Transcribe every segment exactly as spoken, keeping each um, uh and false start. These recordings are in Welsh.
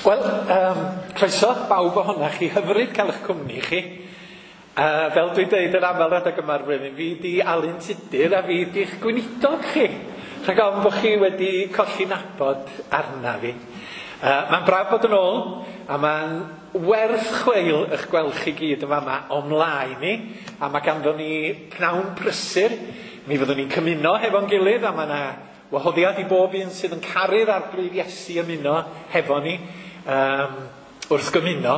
Wel, um, croeso bawb ohonoch chi, hyfryd cael eich cwmni chi. Uh, fel dwi'n deud yn aml adeg yma'r flwyddyn, fi di Alun Tudur a fi di'ch gweinidog chi. Rhag ofn bod chi wedi colli nabod arna fi. Uh, mae'n braf bod yn ôl, a mae'n werth chweil eich gweld chi gyd yn fama o mlaen ni. A mae ganddo ni pnawn prysur. Mi fyddwn ni'n cymuno hefo'n gilydd, a mae yna wahoddiad i bob un sydd yn caru'r Arglwydd Iesu ymuno hefo ni um, wrth gymuno.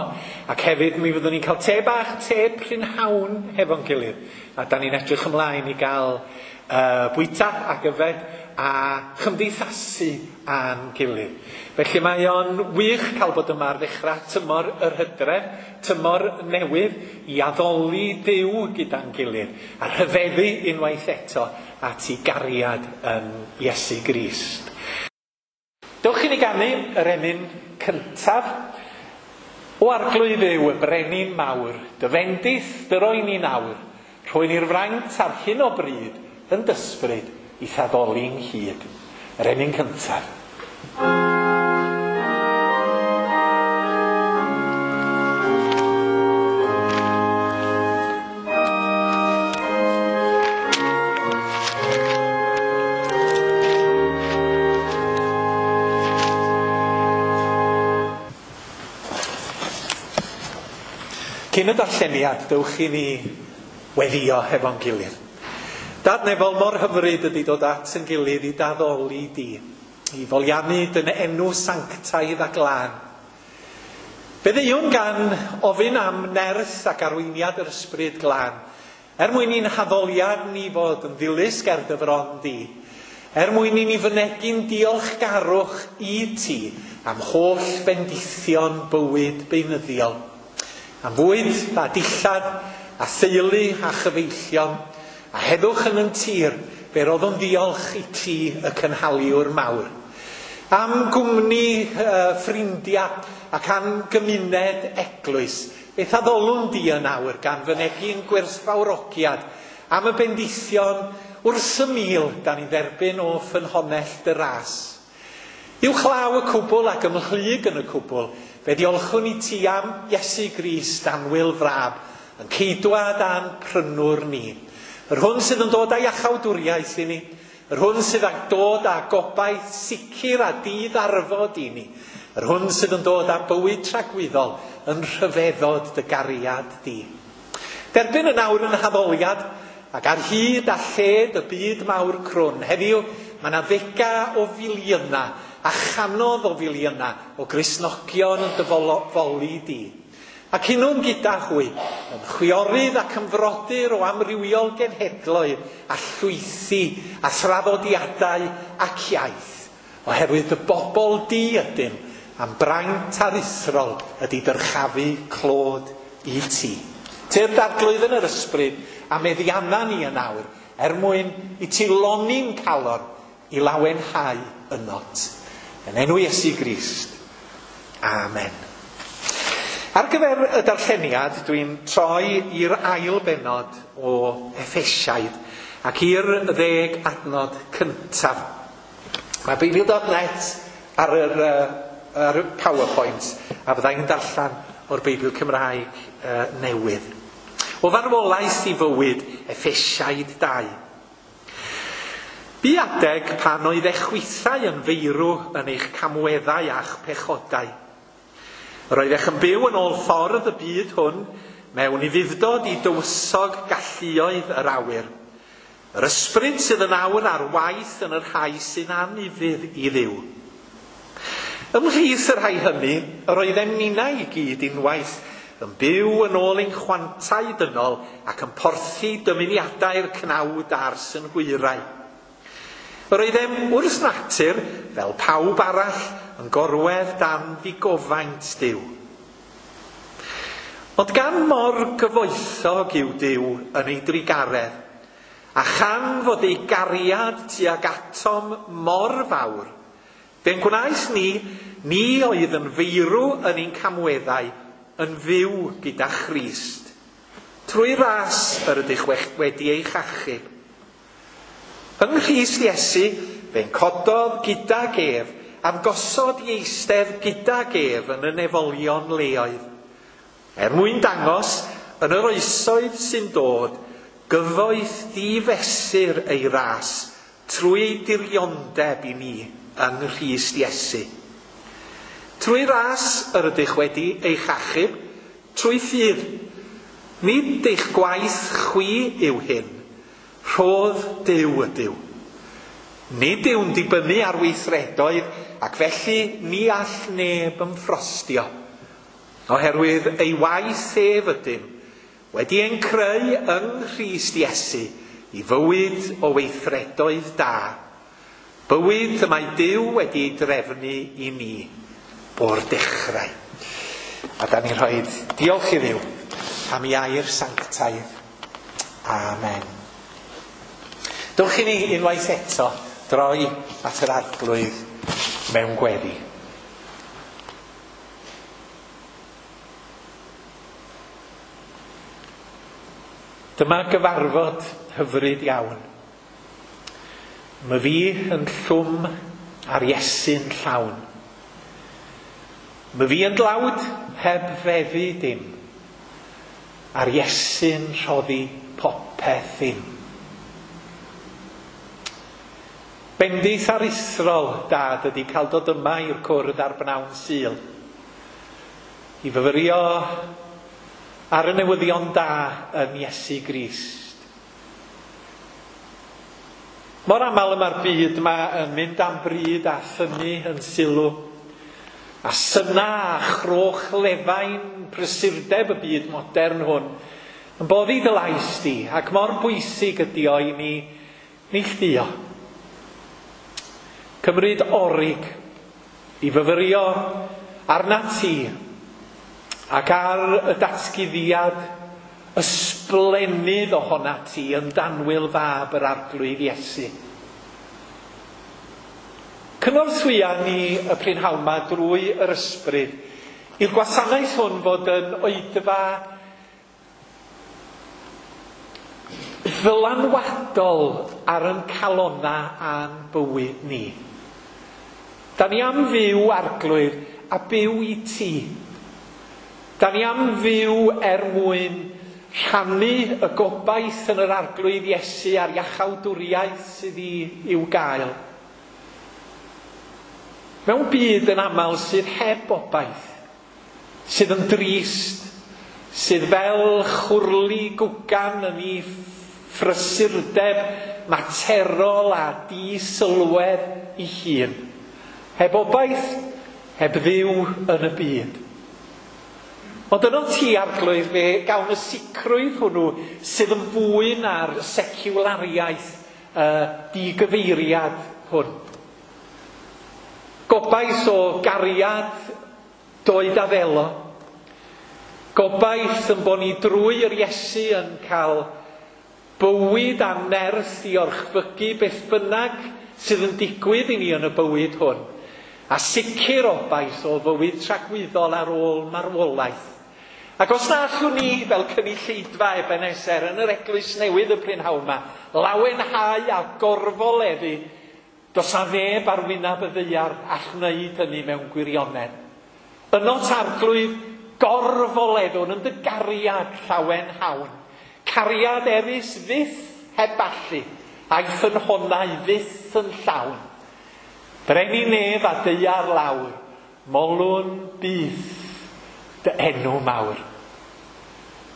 Ac hefyd mi fyddwn ni'n cael te bach, te prynhawn hefo'n gilydd. A da ni'n edrych ymlaen i gael uh, bwyta ac yfed a chymdeithasu â'n gilydd. Felly mae o'n wych cael bod yma ar ddechrau tymor yr hydref, tymor newydd i addoli Duw gyda'n gilydd a rhyfeddu unwaith eto at ei gariad yn Iesu Grist. Dewch i ni ganu yr emyn cyntaf. O Arglwydd Dduw, y brenin mawr, dy fendith dy roi ni nawr, rhoi ni'r fraint ar hyn o bryd yn dysbryd i thaddoli'n hyd. Yr emyn cyntaf. Cyn y darlleniad, dewch i ni weddio hefo'n gilydd. Dad nefol, mor hyfryd ydy dod at yn gilydd i daddoli di, i foliannu dyn enw sanctaidd a glân. Fe ddeuwn gan ofyn am nerth ac arweiniad yr ysbryd glân, er mwyn i'n haddoliad ni fod yn ddilys ger dy fron di, er mwyn i ni fynegi'n diolchgarwch i ti am holl bendithion bywyd beunyddiol, am fwyd a dillad a theulu a chyfeillion, a heddwch yn yn tir, fe roddwn ddiolch i ti y cynhaliwr mawr. Am gwmni uh, ffrindiau ac am gymuned eglwys, beth addolwn di yn awr gan fynegi'n gwerthfawrogiad am y bendithion wrth y mil dan ni dderbyn o ffynhonnell dy ras. Uwchlaw y cwbl ac ymhlyg yn y cwbl, fe diolchwn i ti am Iesu Grist annwyl frab, yn ceidwad a'n prynwr ni. Yr hwn sydd yn dod â iachawdwriaeth i ni, yr hwn sydd yn dod â gobaith sicr a diddarfod i ni, yr hwn sydd yn dod â bywyd tragwyddol yn rhyfeddod dy gariad di. Derbyn yn awr yn haddoliad ac ar hyd a lled y byd mawr crwn. Heddiw mae yna ddega o filiynau a chanodd o filiynau o Gristnogion yn dy foli di. Ac unwn gyda hwy, yn chwiorydd ac yn frodyr o amrywiol genhedloedd a llwythi a thraddodiadau ac iaith, oherwydd y bobl di ydym am braint aruthrol ydy dyrchafu clod i ti. Tyrd Arglwydd yn yr ysbryd a meddianna ni yn awr, er mwyn i ti lonni'n calon i lawenhau ynot. Yn enw Iesu Grist. Amen. Ar gyfer y darlleniad, dwi'n troi i'r ail bennod o Effesiaid ac i'r ddeg adnod cyntaf. Mae Beibl dot net ar yr, ar y PowerPoint a fyddai'n darllen o'r Beibl Cymraeg uh, newydd. O farwolaeth i fywyd, Effesiaid dau. Bu adeg pan oedd eich chwithau yn feirw yn eich camweddau a'ch pechodau. Yr oeddech yn byw yn ôl ffordd y byd hwn mewn ufudd-dod i dywysog galluoedd yr awyr. Yr ysbryd sydd yn awr ar waith yn yr rhai sy'n anufudd i Dduw. Ymhlith y rhai hynny, yr oeddem ninnau i gyd unwaith yn byw yn ôl ein chwantau dynol ac yn porthi dymuniadau'r cnawd a'r synhwyrau. Yr oeddem wrth natur, fel pawb arall, yn gorwedd dan ddigofaint Duw. Ond gan mor gyfoethog yw Duw yn ei drugaredd, a chan fod ei gariad tuag atom mor fawr, fe'n gwnaeth ni, ni oedd yn feirw yn ein camweddau, yn fyw gyda Christ. Trwy ras yr ydych wedi eich achub. Yng Nghrist Iesu, fe'n cododd gydag ef am gosod i eistedd gydag ef yn y nefolion leoedd, er mwyn dangos yn yr oesoedd sy'n dod gyfoeth difesur ei ras trwy ei diriondeb i ni yng Nghrist Iesu. Trwy ras yr ydych wedi eich achub, trwy ffydd. Nid eich gwaith chwi yw hyn, rhodd Duw ydyw. Nid yw'n dibynnu ar weithredoedd, ac felly ni all neb ymffrostio. Oherwydd ei waith ef ydym, wedi ein creu yng Nghrist Iesu i fywyd o weithredoedd da. Bywyd y mae Duw wedi ei drefnu i ni o'r dechrau. A da ni'n rhoi diolch i Dduw am ei air sanctaidd. Amen. Dewch i ni unwaith eto droi at yr Arglwydd mewn gweddi. Dyma gyfarfod hyfryd iawn. Mae fi yn llwm a'r Iesu'n llawn. Mae fi yn dlawd heb feddu dim, a'r Iesu'n rhoddi popeth im. Bendith aruthrol, Dad, ydy cael dod yma i'r cwrdd ar bnawn Sul. I fyfyrio ar y newyddion da yn Iesu Grist. Mor aml y mae'r byd yma yn mynd am bryd a thynnu yn sylw, a syna a chroch lefain prysurdeb y byd modern hwn yn boddi dy lais di, ac mor bwysig ydy o i ni neilltuo. Cymryd orig i fyfyrio arnat ti ac ar y datguddiad ysblennydd ohonat ti yn danwyl fab yr Arglwydd Iesu. Cynorthwya ni y prynhawn 'ma drwy yr ysbryd i'r gwasanaeth hwn fod yn oedfa ddylanwadol ar yn calonna a'n bywyd ni. Da ni am fyw, Arglwydd, a byw i ti. Da ni am fyw er mwyn rhannu y gobaith yn yr Arglwydd Iesu a'r iachawdwriaeth sydd i, i'w gael. Mewn byd yn aml sydd heb obaith, sydd yn drist, sydd fel chwrli gwgan yn ei phrysurdeb materol a disylwedd ei hun. Heb obaith, heb Dduw yn y byd. Ond yno ti, Arglwydd, fe gawn y sicrwydd hwnnw sydd yn fwy na'r seciwlariaeth uh, digyfeiriad hwn. Gobaith o gariad doed a ddelo. Gobaith yn bod ni drwy yr Iesu yn cael bywyd a nerth i orchfygu beth bynnag sydd yn digwydd i ni yn y bywyd hwn. A sicr obaith o fywyd tragwyddol ar ôl marwolaeth. Ac os na allwn ni fel cynulleidfa Ebenezer yn yr eglwys newydd y prynhawn 'ma, lawenhau a gorfoleddu, does na neb ar wyneb y ddaear all wneud hynny mewn gwirionedd. Yno Arglwydd gorfoleddwn yn dy gariad llawenhawn. Cariad erys fyth heb allu, a'i ffynhonnau fyth yn llawn. Brenin nef a daear lawr, molwn byth dy enw mawr.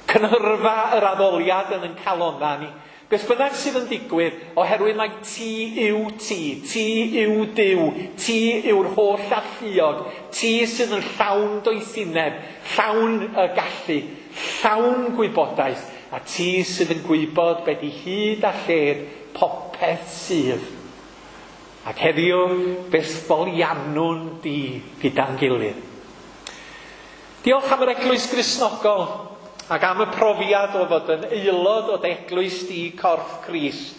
Cynhyrfa yr addoliad yn yn calonna ni. Beth bynnag sydd yn digwydd, oherwydd mai ti yw ti, ti yw Duw, ti yw'r holl alluog, ti sydd yn llawn doethineb, llawn y gallu, llawn gwybodaeth, a ti sydd yn gwybod be di hyd a lled popeth sydd. Ac heddiw, beth foliannwn di gyda'n gilydd. Diolch am yr Eglwys Gristnogol ac am y profiad o fod yn aelod o Eglwys di Corff Crist.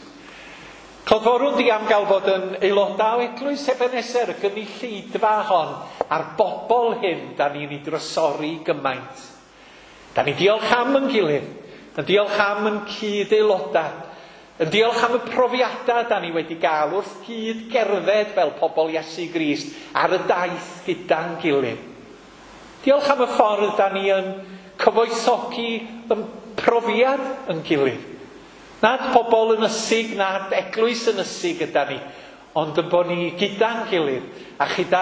Clodforwn di am gael fod yn aelodau o Eglwys Ebenezer, y gynulleidfa hon, a'r bobl hyn da ni'n ei drysori gymaint. Da ni diolch am yn gilydd, yn diolch am yn cyd-aelodau, Yn diolch am y profiadau da ni wedi gael wrth gyd gerdded fel pobl Iesu Grist ar y daith gyda'n gilydd. Diolch am y ffordd da ni yn cyfoethogi yn profiad yn gilydd. Nad pobl yn ysig, nad eglwys yn ysig gyda ni, ond yn bod ni gyda'n gilydd a chyda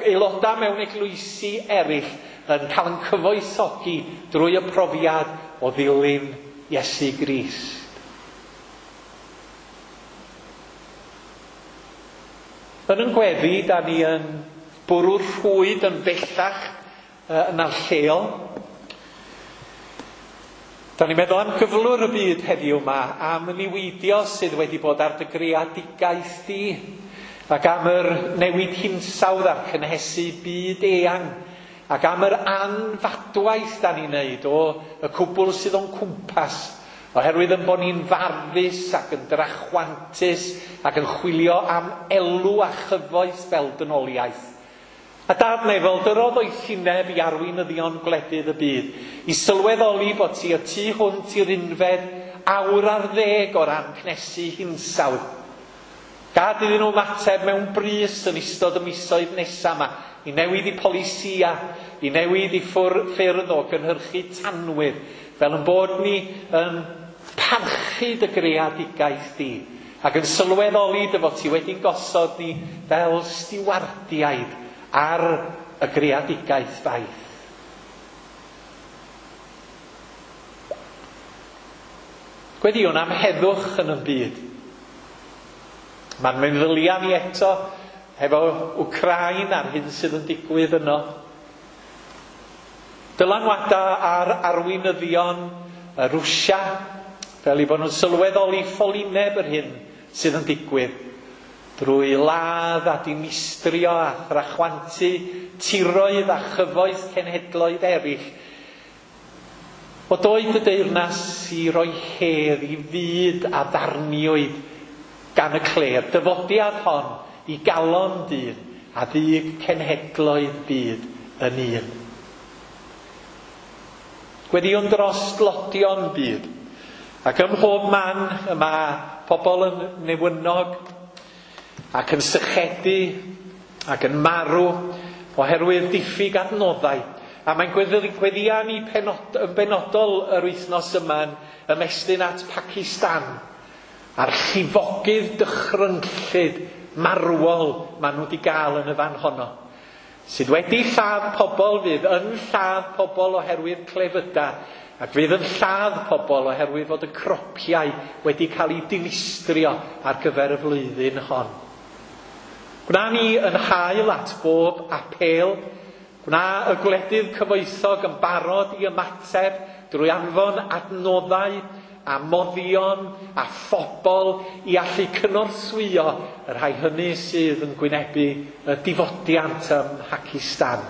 aelodau mewn eglwysi eraill yn cael yn cyfoethogi drwy y profiad o ddilyn Iesu Grist. Yn yn gweddi, da ni yn bwrw'r rhwyd yn bellach yn lleol. Da ni'n meddwl am gyflwr y byd heddiw yma, am y niweidio sydd wedi bod ar dy greadigaeth di, ac am yr newid hinsawdd a'r cynhesu byd eang, ac am yr anfadwaith da ni'n neud o y cwbl sydd o'n cwmpas, oherwydd yn bod ni'n farfus ac yn drachwantus ac yn chwilio am elw a chyfoeth fel dynoliaeth. A Dad nefol, dyrodd oethineb i arweinyddion gwledydd y byd, i sylweddoli bod ti y tu hwnt i'r unfed awr ar ddeg o ran cnesu hinsawdd. Gad iddyn nhw ymateb mewn brys yn ystod y misoedd nesaf yma, i newid i polisia, i newid i ffyrdd o gynhyrchu tanwydd, fel yn bod ni yn parchu dy greadigaeth di, ac yn sylweddoli dy fod ti wedi'n gosod ni fel stiwardiaid ar y greadigaeth faith. Gweddiwn am heddwch yn y byd. Mae'n meddylia ni eto hefo Wcráin a'r hyn sydd yn digwydd yno. Dylanwada ar arweinyddion y Rwsia, fel i bod nhw'n sylweddoli ffolineb yr hyn sydd yn digwydd, drwy ladd a dinistrio a thrachwantu tiroedd a chyfoeth cenhedloedd eraill. O doed y deyrnas i roi hedd i fyd a ddarniwyd gan y clêr, dyfodiad hon i galon dyn a ddug cenhedloedd byd yn un. Gweddiwn dros dlodion byd, ac ym mhob man y mae pobl yn newynog ac yn sychedu ac yn marw oherwydd diffyg adnoddau. A mae'n gweddia ni penod, yn benodol yr wythnos yma'n ymestyn at Pakistan a'r llifogydd dychrynllyd marwol maen nhw wedi gael yn y fan honno, sydd wedi lladd pobl, fydd yn lladd pobl oherwydd clefydau, ac fydd yn lladd pobl oherwydd fod y cropiau wedi cael eu dinistrio ar gyfer y flwyddyn hon. Gwna ni yn hael at bob apêl, gwna y gwledydd cyfoethog yn barod i ymateb drwy anfon adnoddau a moddion a phobl i allu cynorthwyo y rhai hynny sydd yn gwynebu y difodiant ym Mhacistan.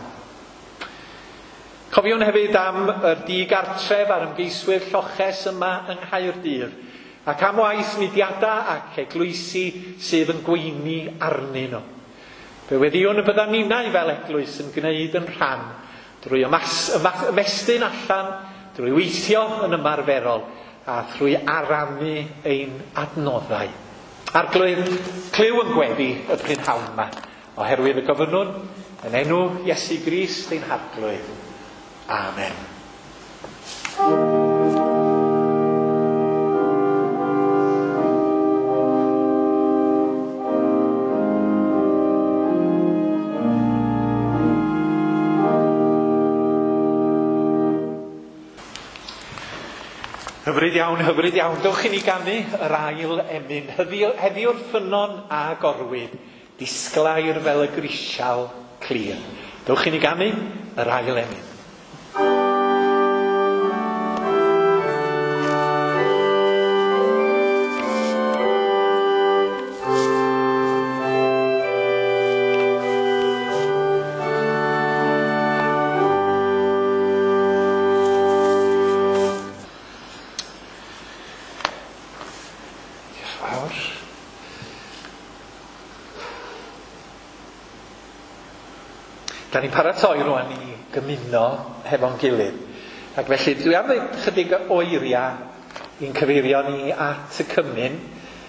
Cofiwn hefyd am y digartref a'r ymgeiswyr lloches yma yng Nghaerdydd, ac am waith mudiadau ac eglwysi sydd yn gweini arnyn nhw. Fe weddiwn y byddan ninnau fel eglwys yn gwneud yn rhan drwy ymas, ymas, ymestyn allan, drwy weithio yn ymarferol, a thrwy aramu ein adnoddau. Arglwydd, clyw yn gweddi y prynhawn yma, oherwydd y gofynnwn yn enw Iesu Grist ein Harglwydd. Amen. Hyfryd iawn, hyfryd iawn. Dewch i ni ganu yr ail emyn. Heddiw'r ffynnon a gorwyd, disglair fel y grisial clir. Dewch i ni ganu yr ail emyn. Da ni'n paratoi rwan i gymuno hefo'n gilydd. Ac felly dwi am ddweud chydig o eiriau i'n cyfeirio ni at y cymun,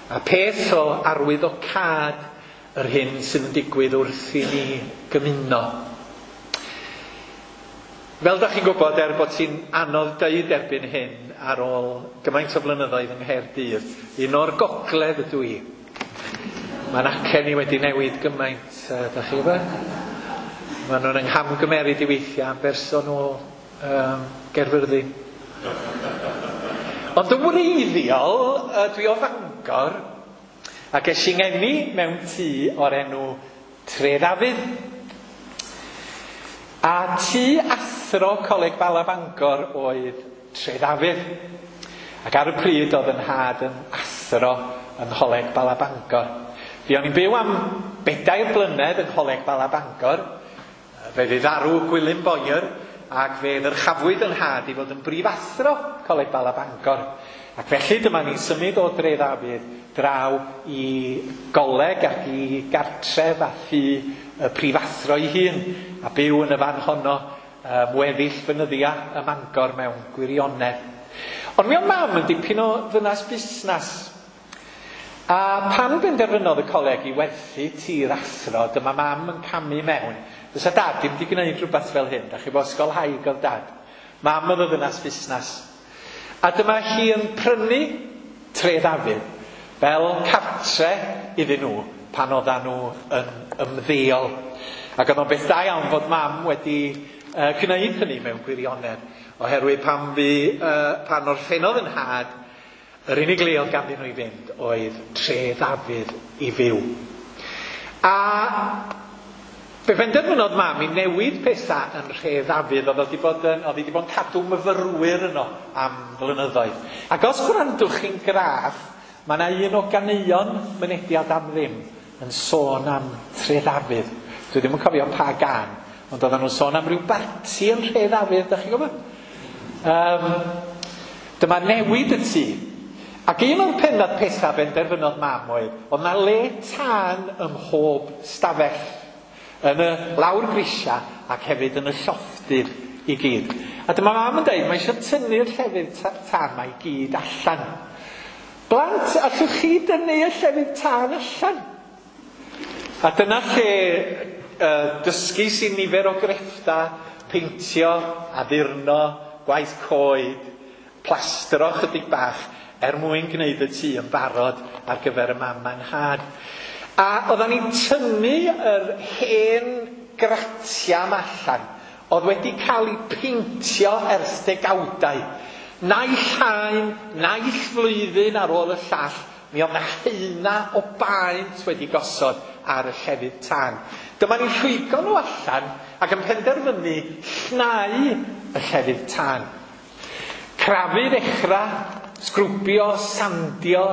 a peth o arwyddocâd yr hyn sydd yn digwydd wrth i ni gymuno. Fel da chi'n gwybod, er bod ti'n anodd deud erbyn hyn ar ôl gymaint o flynyddoedd yng Nghaerdydd, un o'r gogledd ydw i. Mae'n acen i wedi newid gymaint, da chi'n gwybod? Maen nhw'n ynghamgymeryd i weithiau am berson o um, Gaerfyrddin. Ond yn wreiddiol, dwi o Fangor, ac es i ngeni mewn tŷ o'r enw Tre Ddafydd. A tŷ athro Coleg Bala Bangor oedd Tre Ddafydd. Ac ar y pryd oedd yn nhad yn athro yng Ngholeg Bala Bangor. Fuon ni'n byw am bedair blynedd yng Ngholeg Bala Bangor. Fe fu farw Gwilym Boyer, ac fe ddyrchafwyd yn nhad i fod yn brifathro Coleg Bala Bangor. Ac felly dyma ni'n symud o Dre Ddafydd draw i goleg ac i gartref a thŷ y prifathro ei hun, a byw yn y fan honno um, weddill fynyddia ym Mangor mewn gwirionedd. Ond mi oedd mam yn dipyn o ddynas busnes. A pan benderfynodd y coleg i werthu tŷ'r athro, dyma mam yn camu mewn. Fysa dad ddim wedi gwneud rhywbeth fel hyn, da chi bod ysgolhaig oedd dad. Mam oedd y ddynas busnes. A dyma hi yn prynu Tre Ddafydd fel cartre iddyn nhw pan oeddan nhw yn ymddeol. Ac oedd o'n beth da iawn fod mam wedi uh, gwneud hynny mewn gwirionedd, oherwydd pan, fi, uh, pan orffennodd yn nhad, yr unig le oedd ganddyn nhw i fynd oedd Tre Ddafydd i fyw. A fe benderfynodd mam i newid pethau yn Nhre Ddafydd. Oedd wedi bod yn, oedd wedi bod yn cadw myfyrwyr yno am flynyddoedd. Ac os gwrandwch chi'n graff, mae yna un o ganeuon Mynediad am Ddim yn sôn am Tre Ddafydd. Dwi ddim yn cofio pa gan, ond oedden nhw'n sôn am ryw barti yn Nhre Ddafydd, da chi'n gwybod? Um, dyma newid y tŷ. Ac un o'r pennod pethau benderfynodd mam oedd, oedd na le tân ym mhob stafell, yn y lawr grisia ac hefyd yn y llofftydd i gyd. A dyma mam yn dweud, mae eisiau tynnu'r llefydd tân ma i gyd allan. Blant, allwch chi dynnu y llefydd tân allan? A dyna lle uh, dysgu sy'n nifer o grefftau, peintio, addurno, gwaith coed, plastro chydig bach, er mwyn gwneud y tŷ yn barod ar gyfer y mam a'n nhad. A oeddan ni'n tynnu yr hen gratia yma allan, oedd wedi cael ei peintio ers degawdau. Naill haen, naill flwyddyn ar ôl y llall, mi oedd 'na haena o baent wedi gosod ar y llefydd tân. Dyma ni'n rhwygo nhw allan ac yn penderfynu llnau y llefydd tân. Crafu ddechrau, sgrwbio, sandio,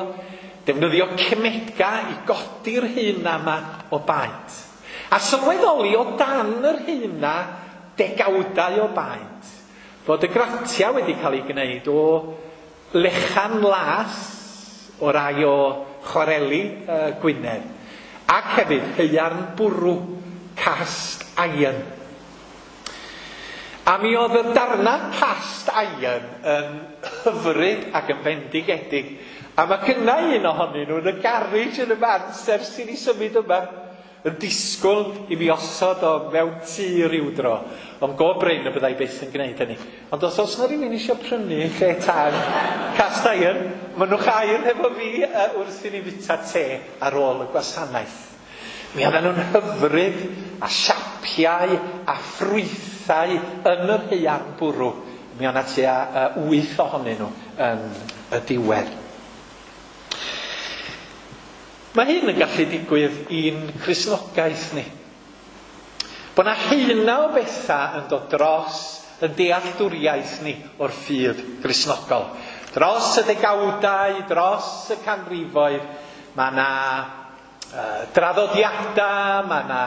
defnyddio cemega i godi'r haena yma o baent. A sylweddoli o dan yr haena degawdau o baent, fod y gratia wedi cael ei gwneud o lechan las o rai o chwareli uh, Gwynedd, ac hefyd haearn bwrw, cast iron. A mi oedd y darna cast iron yn hyfryd ac yn fendigedig. A mae gynna un ohonyn nhw yn y garej yn y mans ers i ni symud yma, yn disgwyl i mi osod o mewn tŷ ryw dro. Ond go brin y byddai byth yn gwneud hynny. Ond os oes na rhywun eisiau prynu lle tân cast iron, mynnwch air efo fi uh, wrth i ni fwyta te ar ôl y gwasanaeth. Mi oedden nhw'n hyfryd a siapiau a ffrwythau yn yr haearn bwrw. Mi oedd 'na tua uh, wyth ohonyn nhw yn y diwedd. Mae hyn yn gallu digwydd i'n Cristnogaeth ni. Bod 'na haena o bethau yn dod dros y dealltwriaeth ni o'r ffydd Gristnogol. Dros y degawdau, dros y canrifoedd, mae 'na uh, draddodiadau, mae 'na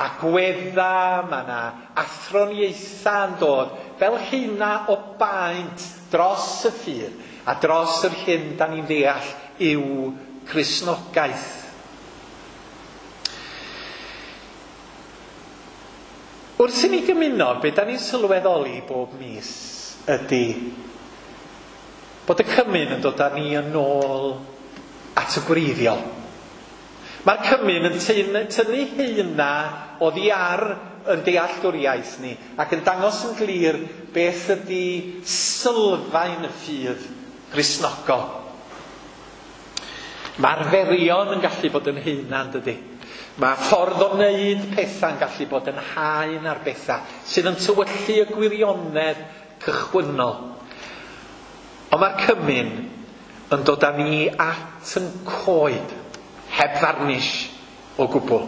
agweddau, mae 'na athroniaethau yn dod fel haena o baent dros y ffydd a dros yr hyn da ni'n ddeall yw Cristnogaeth. Wrth i ni gymuno, be da ni'n sylweddoli bob mis ydy Bod y cymun yn dod â ni yn ôl at y gwreiddiol. Mae'r cymun yn tynnu heina oddi ar yn dealltwriaeth ni ac yn dangos yn glir beth ydy sylfaen y ffydd Gristnogol. Mae'r arferion yn gallu bod yn haenan, dydy. Mae ffordd o wneud pethau'n gallu bod yn haen ar bethau sydd yn tywyllu y gwirionedd cychwynnol. Ond mae'r cymun yn dod â ni at yn coed, heb farnish o gwbl.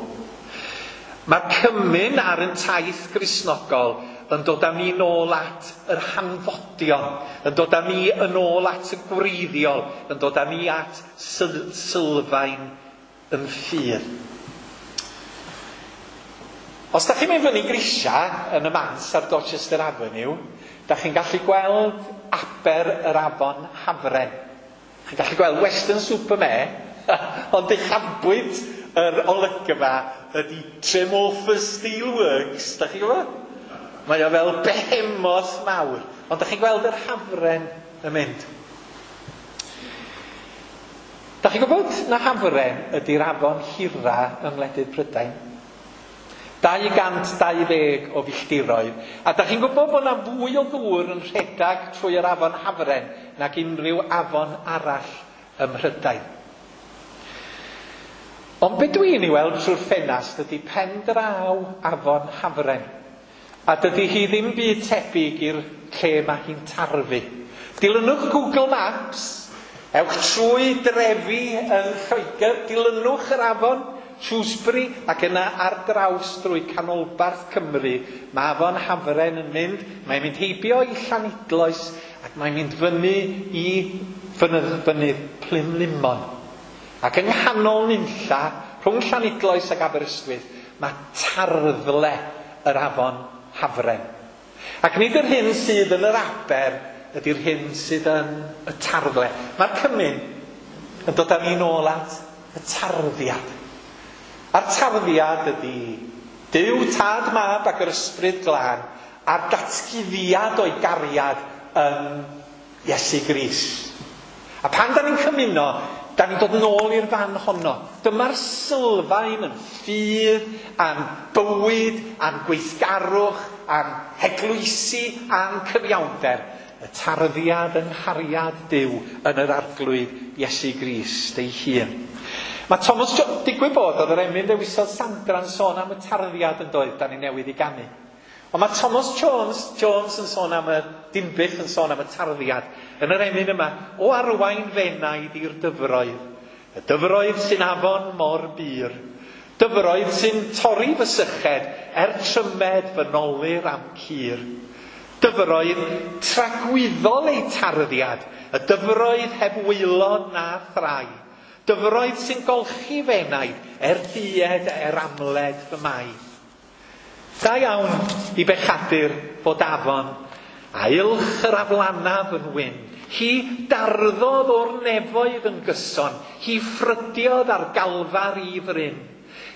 Mae'r cymun ar yn taith Gristnogol yn dod â ni nôl at yr hanfodion, yn dod â ni yn ôl at y gwreiddiol, yn dod â ni at sylfaen yn ffydd. Os da chi'n mynd fyny grisia yn y Mans ar Dorchester Avenue, da chi'n gallu gweld aber yr afon Hafren. Chi'n gallu gweld Weston-super-Mare, ond uchafbwynt yr olygfa ydy Tremorfa Steelworks. Da chi'n gwybod? Mae o fel behemoth mawr. Ond da chi'n gweld yr Hafren yn mynd. Da chi'n gwybod na Hafren ydy'r afon hira yng ngwledydd Prydain? dau gant dau ddeg o filltiroedd. A da chi'n gwybod bod yna fwy o ddŵr yn rhedeg trwy yr afon Hafren nag unrhyw afon arall ym Mhrydain. Ond be dwi'n ei weld trwy'r ffenast ydy pen draw afon Hafren. A dydy hi ddim byd tebyg i'r lle mae hi'n tarfu. Dilynwch Google Maps, ewch trwy drefi yn Lloegr, dilynwch yr afon Shrewsbury ac yna ar draws drwy canolbarth Cymru. Mae afon Hafren yn mynd, mae'n mynd heibio i Llanidloes ac mae'n mynd fyny i fynydd, fynydd Plumlumon. Ac yng nghanol nunlla, rhwng Llanidloes ac Aberystwyth, mae tarddle yr afon Hafren. Ac nid yr hyn sydd yn yr aber ydy'r hyn sydd yn y tarddle. Mae'r cymun yn dod â ni nôl at y tarddiad. A'r tarddiad ydy Duw, Tad, Mab ac yr Ysbryd Glân a'r datguddiad o'i gariad yn Iesu Grist. A pan da ni'n cymuno, da ni'n dod nôl i'r fan honno. Dyma'r sylfaen yn ffydd, a'n bywyd, a'n gweithgarwch, a'n heglwysi, a'n cyfiawnder. Y tarddiad yng nghariad Duw yn yr Arglwydd Iesu Grist ei hun. Mae Thomas Jones, digwydd bod, oedd yr emyn dewisodd Sandra'n sôn am y tarddiad yn doedd, da ni newydd i ganu. Ond mae Thomas Jones, Jones yn sôn am y Dinbych yn sôn am y tarddiad yn yr emyn yma, o arwain fenaid i'r dyfroedd. Y dyfroedd sy'n afon mor bur. Dyfroedd sy'n torri fy syched er trymed fy nolir am cur. Dyfroedd tragwyddol eu tarddiad, y dyfroedd heb waelod na thrai. Dyfroedd sy'n golchi fenaid er dued er amled fy mai. Da iawn i bechadur fod afon, a ylch yr aflanaf yn wyn. Hi darddodd o'r nefoedd yn gyson, hi ffrydiodd ar galfar i fryn.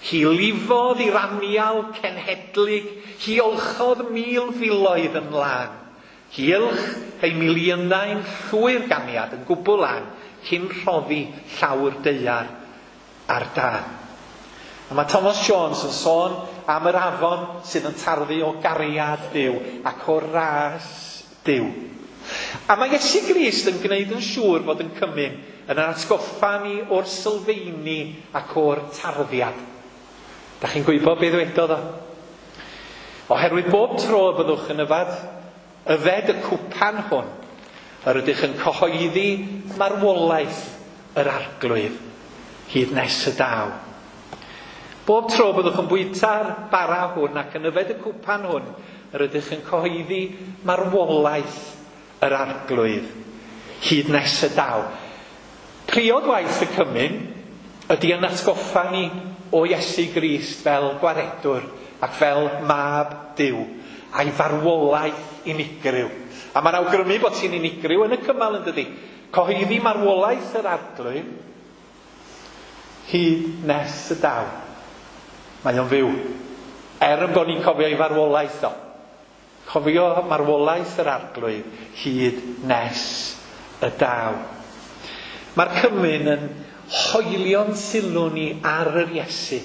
Hi lifodd i'r anial cenhedlig, hi olchodd mil filoedd yn lân. Hi ylch ei miliynau'n llwyr ganiad yn gwbl lân, cyn rhoddi llawr daear ar dân. A mae Thomas Jones yn sôn am yr afon sydd yn tarddu o gariad Duw ac o ras Duw. A mae Iesu Grist yn gwneud yn siŵr bod yn cymun yn yr atgoffa ni o'r sylfeini ac o'r tarddiad. Da chi'n gwybod beth ddwedodd o? Oherwydd bob tro y byddwch yn yfad, yfed y cwpan hwn, yr ydych yn cyhoeddi marwolaeth yr Arglwydd hyd nes y daw. Bob tro byddwch yn bwyta'r bara hwn ac yn yfed y cwpan hwn, yr ydych yn cyhoeddi marwolaeth yr Arglwydd hyd nes y daw. Priod waith y cymun ydy yn atgoffa ni o Iesu Grist fel gwaredwr ac fel mab Duw a'i farwolaeth unigryw. A mae'n awgrymu bod ti'n unigryw yn y cymal yn dydi. Cyhoeddi marwolaeth yr Arglwydd hyd nes y daw. Mae o'n fyw. Er yn bod ni'n cofio ei farwolaeth o. Cofio marwolaeth yr Arglwydd hyd nes y daw. Mae'r cymun yn hoelio'n sylw ni ar yr Iesu,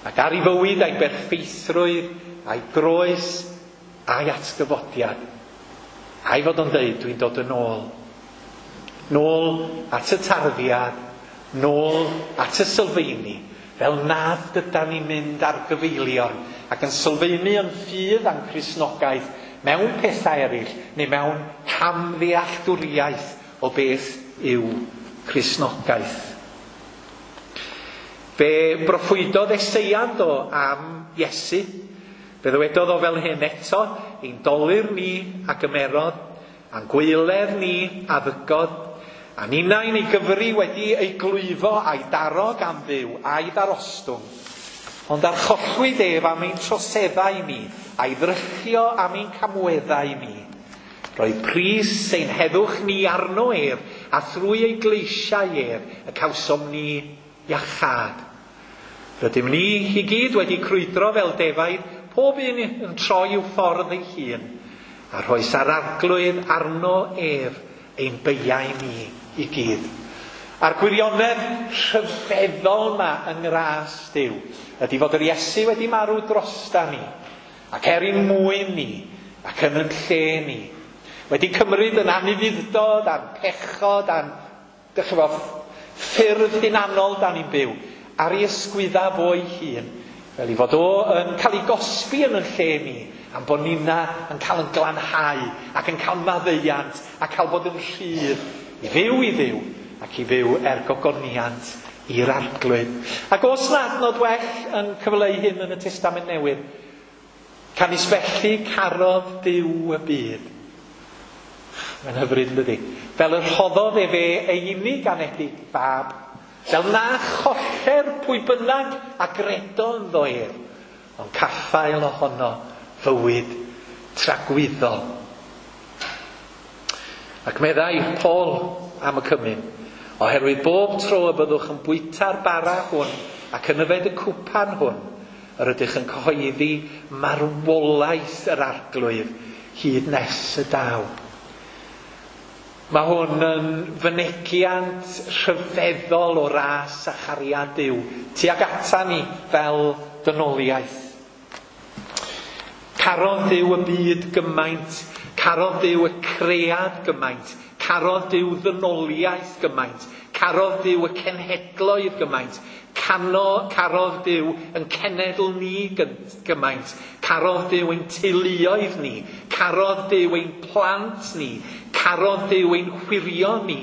ac ar ei fywyd a'i berffeithrwydd, a'i groes, a'i atgyfodiad. A'i fod o'n dweud, dwi'n dod yn ôl. Nôl at y tarddiad, nôl at y sylfaeni, fel nad ydan ni'n mynd ar gyfeilion ac yn sylfaenu yn ffydd a'n Cristnogaeth mewn pethau eraill neu mewn camddealltwriaeth o beth yw Cristnogaeth. Fe broffwydodd Eseia do am Iesu. Fe ddywedodd o fel hyn eto, ein dolur ni a gymerodd, a'n gwaeledd ni a ddygodd, a ninnau'n ei gyfri wedi ei glwyfo a'i daro gan Dduw a'i ddarostwng. Ond archollwyd ef am ein troseddau ni, a'i ddrychio am ein camweddau ni. Roedd pris ein heddwch ni arno ef, a thrwy ei gleisiau ef, y cawsom ni iachâd. Rydym ni i gyd wedi crwydro fel defaid, pob un yn troi i'w ffordd ei hun, a rhoes ar arglwydd arno ef ein beiau ni i gyd. A'r gwirionedd rhyfeddol yma yng ngras Duw ydy fod yr Iesu wedi marw drosta ni, ac er ein mwyn ni, ac yn yn lle ni, wedi cymryd yn anufudd-dod a'n pechod a'n dych chi'n gwbod, ffyrdd hunanol dan ni'n byw, ar ei ysgwydda fo'i hun, fel i fod o yn cael ei gosbi yn yn lle ni, am bod nina yn cael yn glanhau ac yn cael maddeuant a cael bod yn rhydd i fyw i Dduw ac i fyw er gogoniant i'r Arglwydd. Ac oes na adnod well yn cyfleu hyn yn y Testament Newydd? Canys felly carodd Duw y byd. Mae'n hyfryd, yn dydi? Fel y rhoddodd efe ei unig anedig fab, fel na choller pwy bynnag a gredo ynddo ef, ond caffael ohono fywyd tragwyddol. Ac meddai Paul am y cymun, oherwydd bob tro y byddwch yn bwyta'r bara hwn ac yn yfed y cwpan hwn, yr ydych yn cyhoeddi marwolaeth yr Arglwydd hyd nes y daw. Mae hwn yn fynegiant rhyfeddol o ras a chariad Duw tuag ata ni fel dynoliaeth. Carodd Duw y byd gymaint, carodd Duw y cread gymaint, carodd Duw ddynoliaeth gymaint, carodd Duw y cenhedloedd gymaint, cano, carodd Duw yn cenedl ni gymaint, carodd Duw ein teuluoedd ni, carodd Duw ein plant ni, carodd Duw ein hwyrion ni,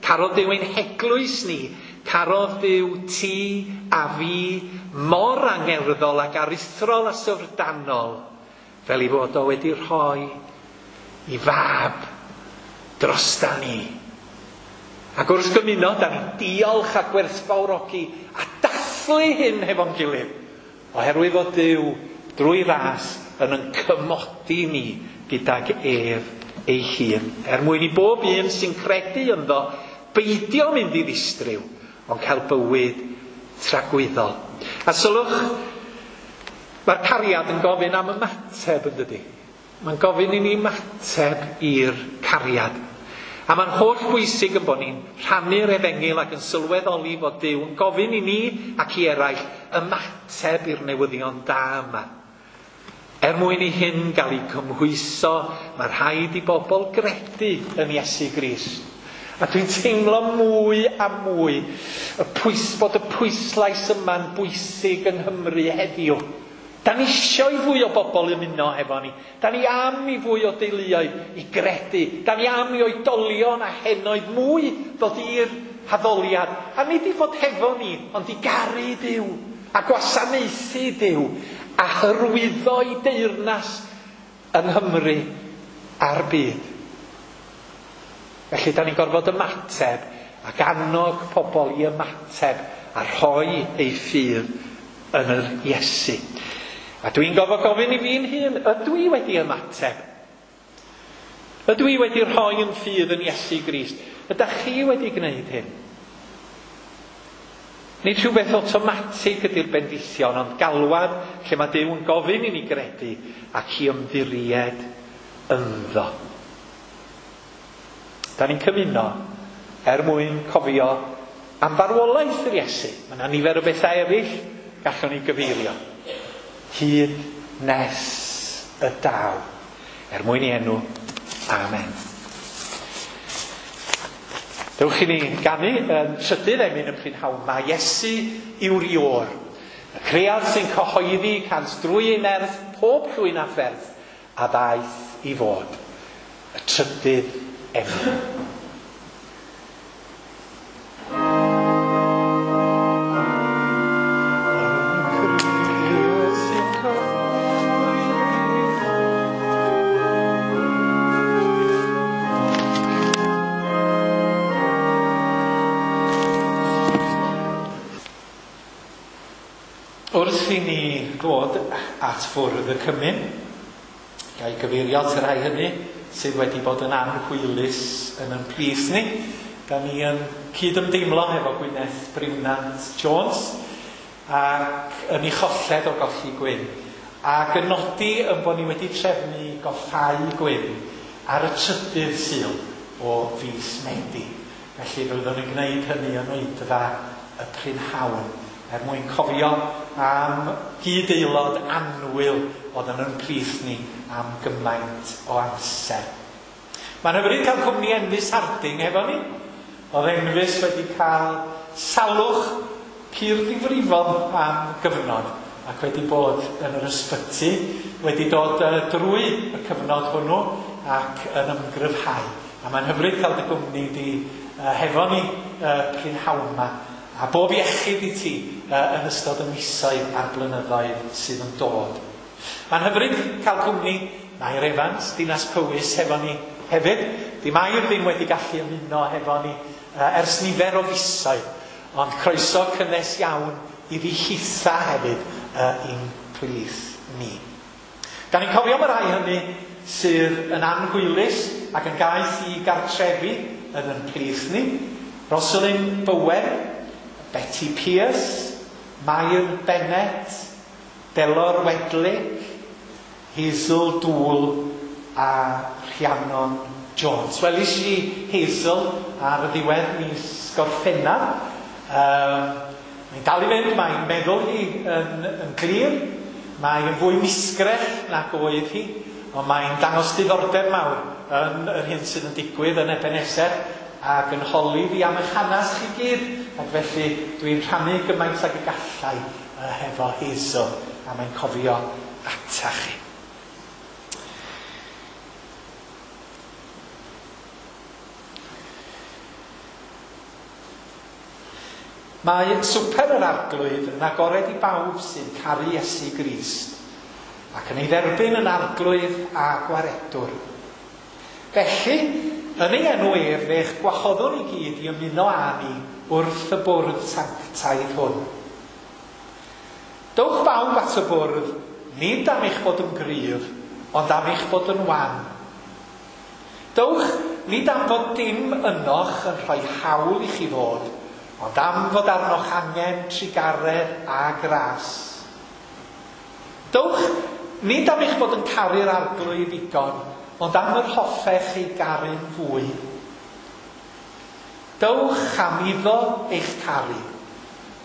carodd Duw ein heglwys ni, carodd Duw ti a fi mor angerddol ac aruthrol a syfrdanol, fel ei fod o wedi rhoi i fab drosta ni. Ac wrth gymuno, da ni'n diolch a gwerthfawrogi a dathlu hyn hefo'n gilydd, oherwydd fod Duw drwy ras yn yn cymodi ni gydag ef ei hun, er mwyn i bob un sy'n credu ynddo beidio mynd i ddistryw, ond cael bywyd tragwyddol. A sylwch, mae'r cariad yn gofyn am ymateb, yn dydi? Mae'n gofyn i ni ymateb i'r cariad. A mae'n holl bwysig yn bod ni'n rhannu'r efengyl ac yn sylweddoli fod Duw yn gofyn i ni ac i eraill ymateb i'r newyddion da yma. Er mwyn i hyn gael ei cymhwyso, mae rhaid i bobl gredu yn Iesu Grist. A dwi'n teimlo mwy a mwy y pwys, bod y pwyslais yma'n bwysig yng Nghymru heddiw. Da ni isio i fwy o bobl ymuno hefo ni. Da ni am i fwy o deuluoedd i gredu. Da ni am i oedolion a henoed mwy ddod i'r haddoliad. A nid i fod hefo ni, ond i garu Duw, a gwasanaethu Duw, a hyrwyddo i deyrnas yng Nghymru a'r byd. Felly, da ni'n gorfod ymateb ac annog pobl i ymateb a rhoi eu ffydd yn yr Iesu. A dwi'n gorfod gofyn i fi'n hun, ydw i wedi ymateb? Ydw i wedi rhoi yn ffydd yn Iesu Grist? Ydych chi wedi gwneud hyn? Nid rhywbeth awtomatig ydy'r bendithion, ond galwad lle mae Duw yn gofyn i ni gredu ac i ymddiried ynddo. Da ni'n cymuno er mwyn cofio am farwolaeth yr Iesu. Mae yna nifer o bethau eraill gallwn ni gyfeirio. Hyd nes y daw. Er mwyn i enw. Amen. Dewch i ni ganu yn trydydd emyn y prynhawn. Mae Iesu yw'r Iôr. Y cread sy'n cyhoeddi cant drwy ei nerth pob llwyn a pherth a ddaeth i fod. Y trydydd emyn. Wrth i ni ddod at fwrdd y cymun, ga'i gyfeirio at y rhai hynny sydd wedi bod yn anhwylus yn ein plith ni. Da ni yn cydymdeimlo hefo Gwyneth Briwnant Jones ac yn ei cholled o golli Gwyn. Ac yn nodi yn bod ni wedi trefnu goffau Gwyn ar y trydydd Sul o fis Medi. Felly fyddwn yn gwneud hynny yn oedfa y prynhawn, er mwyn cofio am gyd-aelod annwyl oedd yn ein plith ni am gymaint o amser. Mae'n hyfryd cael cwmni Enfys Harding efo ni. Oedd Enfys wedi cael salwch pur ddifrifol am gyfnod ac wedi bod yn yr ysbyty, wedi dod drwy y cyfnod hwnnw ac yn ymgryfhau. A mae'n hyfryd cael dy gwmni di hefo ni prynhawn yma. A bob iechyd i ti uh, yn ystod y misoedd a'r blynyddoedd sydd yn dod. Mae'n hyfryd cael cwmni Mair Evans, Dinas Powys, hefo ni hefyd. Di Mair ddim wedi gallu ymuno hefo ni uh, ers nifer o fisoedd, ond croeso cynnes iawn iddi hitha hefyd uh, i'n plith ni. Da ni'n cofio am y rhai hynny sydd yn anhwylus ac yn gaeth i gartrefi yn ein plith ni. Rosalind Bowen, Betty Pierce, Mair Bennett, Delor Wedlick, Hazel Dŵl a Rhiannon Jones. Welis i Hazel ar y ddiwedd mis Gorffennaf. Um, mae'n dal i fynd, mae'n meddwl hi yn, yn glir, mae'n fwy misgrell nag oedd hi, ond mae'n dangos diddordeb mawr yn yr hyn sydd yn digwydd yn Ebenezer ac yn holi fi am eich hanes chi gyd, ac felly dwi'n rhannu gymaint ag y gallai uh, hefo Hazel, a mae'n cofio ata chi. Mae swper yr Arglwydd yn agored i bawb sy'n caru Iesu Grist ac yn ei dderbyn yn Arglwydd a Gwaredwr. Felly, yn ei enw ef, fe'ch gwahoddwn i gyd i ymuno â ni wrth y bwrdd sanctaidd hwn. Dowch bawb at y bwrdd, nid am eich bod yn gryf, ond am eich bod yn wan. Dowch nid am fod dim ynoch yn rhoi hawl i chi fod, ond am fod arnoch angen trugaredd a gras. Dowch nid am eich bod yn caru'r Arglwydd ddigon, ond am yr hoffech ei garu'n fwy. Dowch am iddo eich caru,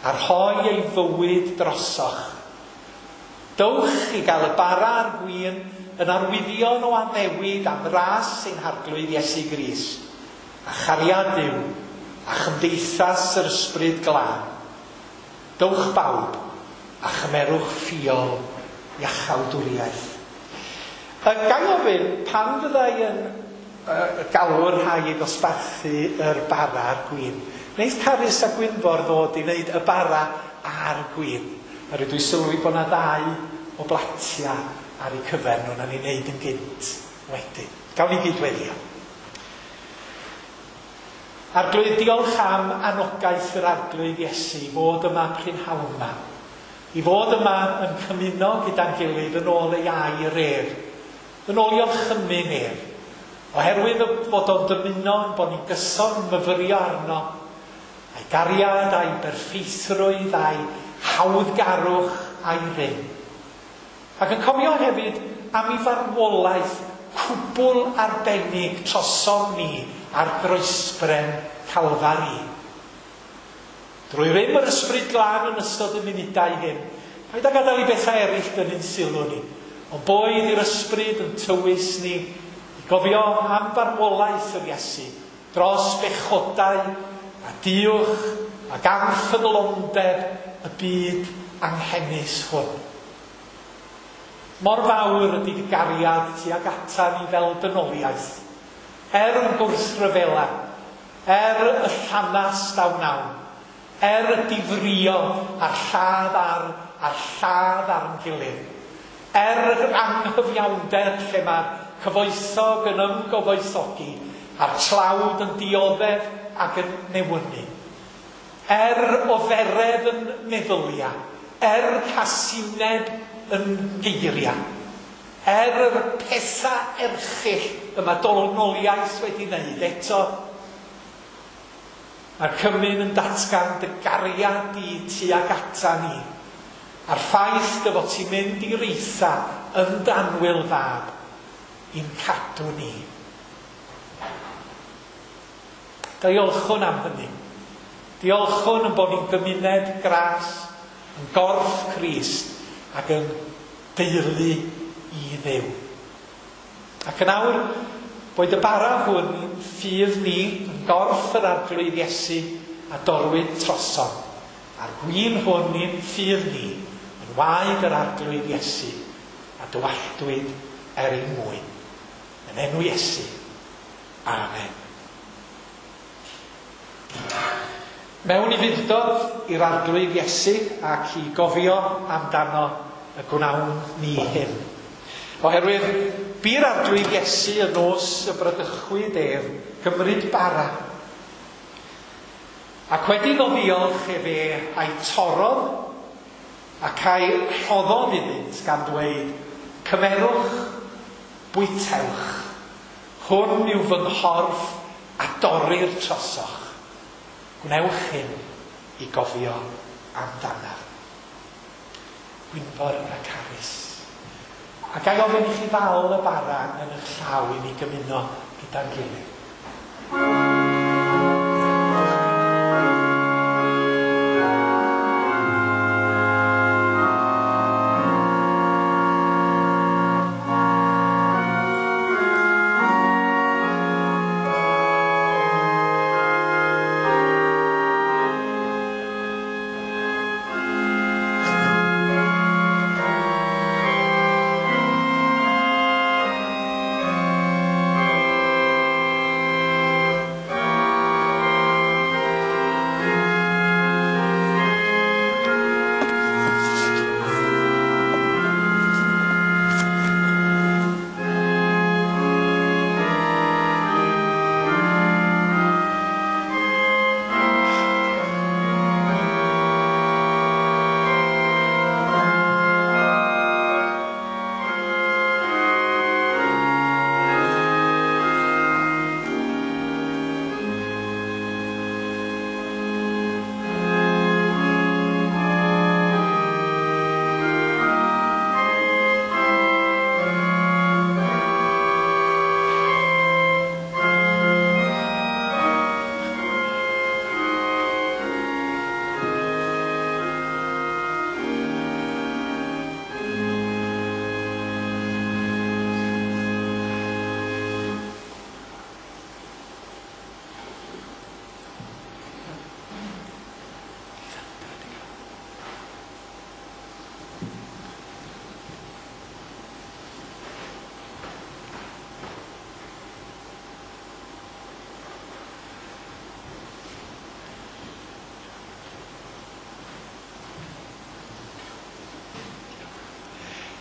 a rhoi ei fywyd drosoch. Dowch i gael y bara a'r gwin yn arwyddion o addewid am ras ein Harglwydd Iesu Grist, a chariad Duw, a chymdeithas yr Ysbryd Glân. Dowch bawb, a chymerwch ffiol iachawdwriaeth. Ga i ofyn, pan fyddai yn uh, galw'r rhai i ddosbarthu yr bara a'r gwin, wneith Carys a Gwynfor ddod i wneud y bara a'r gwin? A rydw i sylwi bod yna ddau o blatia ar eu cyfer nhw, na ni'n wneud yn gynt wedyn. Gawn ni gyd weddio. Arglwydd, diolch am anogaeth yr Arglwydd Iesu i fod yma prynhawn yma. I fod yma yn cymuno gyda'n gilydd yn ôl ei air ef, yn ôl i orchymyn ef, oherwydd fod o'n dymuno yn bod ni'n gyson myfyrio arno, a'i gariad, a'i berffeithrwydd, a'i hawddgarwch, a'i rym. Ac yn cofio hefyd am ei farwolaeth cwbl arbennig trosom ni ar groesbren Calfari. Drwy rym yr Ysbryd Glân yn ystod y munudau hyn, paid â gadael i bethau eraill dynnu'n sylw ni, ond boed i'r Ysbryd yn tywys ni i gofio am farwolaeth yr Iesu dros bechodau a diwch ac anffyddlondeb y byd anghenus hwn. Mor fawr ydy dy gariad tuag ata ni fel dynoliaeth, er yn gwrthryfela, er y llanast a wnawn, er y difrio a'r lladd ar a'r lladd ar yn gilydd, er yr anghyfiawnder lle mae'r cyfoethog yn ymgyfoethogi a'r tlawd yn dioddef ac yn newynu, er oferedd yn meddyliau, er casineb yn geiriau, er yr pethau erchyll y mae dynoliaeth wedi wneud eto, mae'r cymun yn datgan dy gariad di tuag ata ni, a'r ffaith dy fod ti'n mynd i'r eitha yn dy annwyl fab i'n cadw ni. Diolchwn am hynny. Diolchwn yn bod ni'n gymuned gras, yn gorff Crist ac yn deulu i Dduw. Ac yn awr, boed y bara hwn ffydd ni yn gorff yr Arglwydd Iesu a dorwyd trosom, a'r gwin hwn i'n ffydd ni yn waed yr Arglwydd Iesu a dywalltwyd er ein mwyn. Yn enw Iesu. Amen. Mewn ufudd-dod i'r Arglwydd Iesu ac i gofio amdano y gwnawn ni hyn. Oherwydd bu'r Arglwydd Iesu y nos y bradychwyd ef gymryd bara. Ac wedi iddo ddiolch efe a'i torrodd ac a'i rhoddodd iddynt gan dweud, cymerwch, bwytewch, hwn yw fy nghorff a dorrir trosoch. Gwnewch hyn i gofio amdanaf. Gwynfor a Carys. A ga i ofyn i chi ddal y bara yn eich llaw i ni gymuno gyda'n gilydd.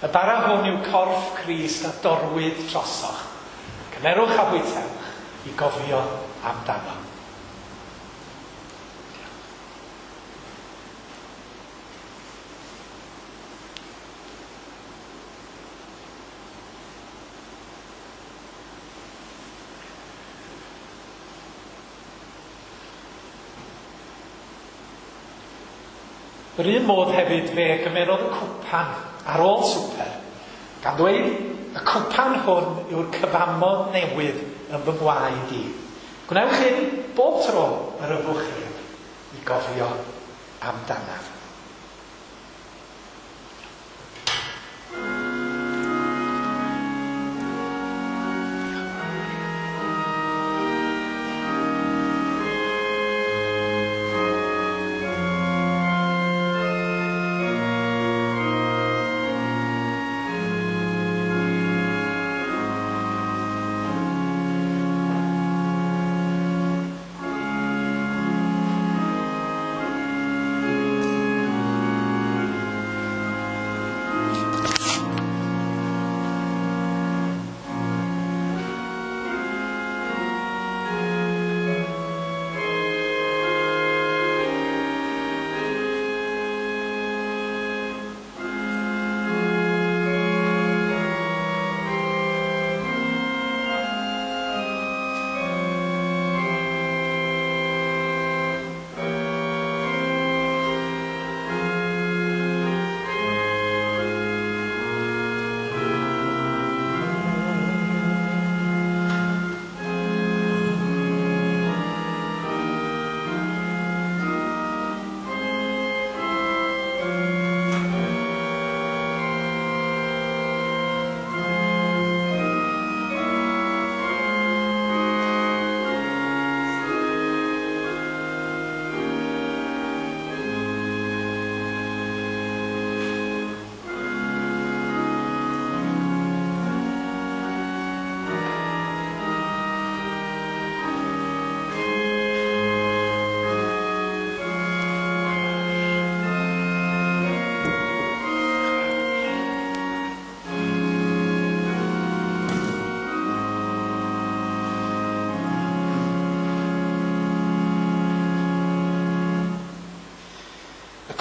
Y bara hwn yw corff Crist a dorwyd trosoch. Cymerwch a bwytewch i gofio amdano. Yr un modd hefyd fe gymerodd y cwpan ar ôl swper, gan ddweud, y cwpan hwn yw'r cyfamod newydd yn fy ngwaed i. Gwnewch hyn bob tro yr yfwch chi i gofio amdanaf.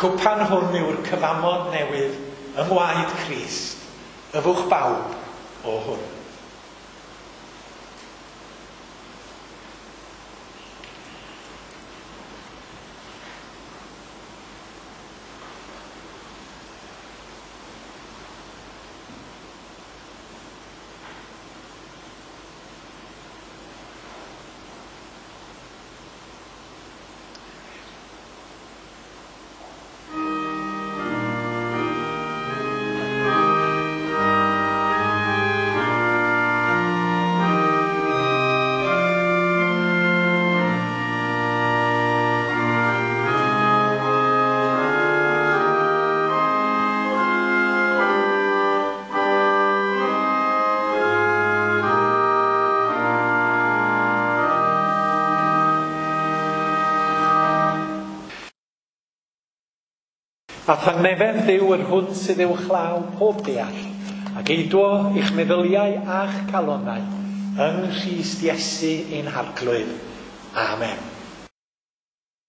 Cwpan hwn yw'r cyfamod newydd yng ngwaed Crist, yfwch bawb o hwn. A thangnefedd Dduw yr hwn sydd uwchlaw pob deall, ac eidwo eich meddyliau a'ch calonnau yng Nghrist Iesu ein Harglwydd. Amen.